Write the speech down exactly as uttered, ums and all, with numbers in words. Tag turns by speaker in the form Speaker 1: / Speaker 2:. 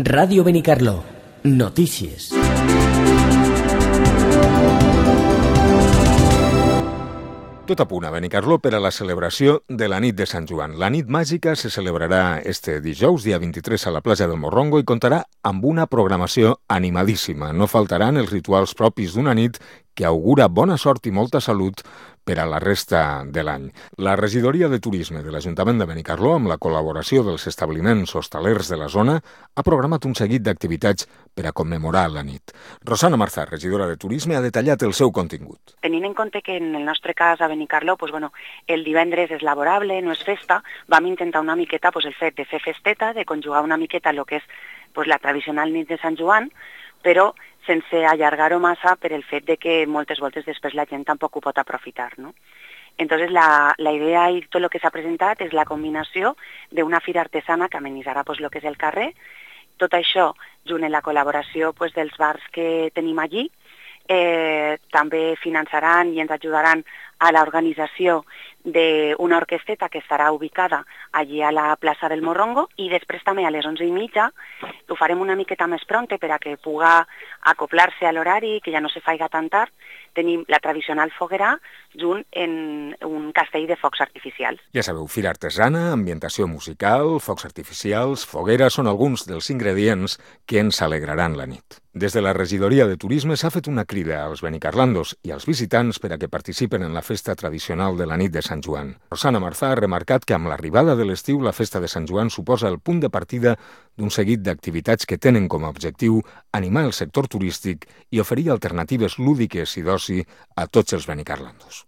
Speaker 1: Ràdio Benicarló. Notícies.
Speaker 2: Tot a punt a Benicarló per a la celebració de la nit de Sant Joan. La nit màgica se celebrarà este dijous, dia vint-i-tres, a la plaça del Morrongo i comptarà amb una programació animadíssima. No faltaran els rituals propis d'una nit que augura bona sort i molta salut per a la resta de l'any. La regidoria de turisme de l'Ajuntament de Benicarló, amb la col·laboració dels establiments hostalers de la zona, ha programat un seguit d'activitats per a commemorar la nit. Rosana Marzà, regidora de turisme, ha detallat el seu contingut.
Speaker 3: Tenint en compte que en el nostre cas a Benicarló pues, bueno, el divendres és laborable, no és festa, vam intentar una miqueta pues, el fet de fer festeta, de conjugar una miqueta el que és pues, la tradicional nit de Sant Joan, però sense allargar-ho massa per el fet de que moltes voltes després la gent tampoc ho pot aprofitar, no? Entonces la, la idea i tot el que s'ha presentat és la combinació d'una fira artesana que amenitzarà pues, el que és el carrer, tot això junt amb la col·laboració pues, dels bars que tenim allí, eh, també finançaran i ens ajudaran a l'organització d'una orquesteta que estarà ubicada allí a la plaça del Morrongo i després també a les onze i mitja ho farem una miqueta més pronte per a que puga acoplar-se a l'horari, que ja no se faiga tan tard. Tenim la tradicional foguera junt en un castell de focs artificials.
Speaker 2: Ja sabeu, fira artesana, ambientació musical, focs artificials, foguera són alguns dels ingredients que ens alegraran la nit. Des de la regidoria de turisme s'ha fet una crida als benicarlandos i als visitants per a que participen en la festa tradicional de la nit de Sant Joan. Rosana Marzà ha remarcat que amb l'arribada de l'estiu la festa de Sant Joan suposa el punt de partida d'un seguit d'activitats que tenen com a objectiu animar el sector turístic i oferir alternatives lúdiques i d'oci a tots els benicarlandos.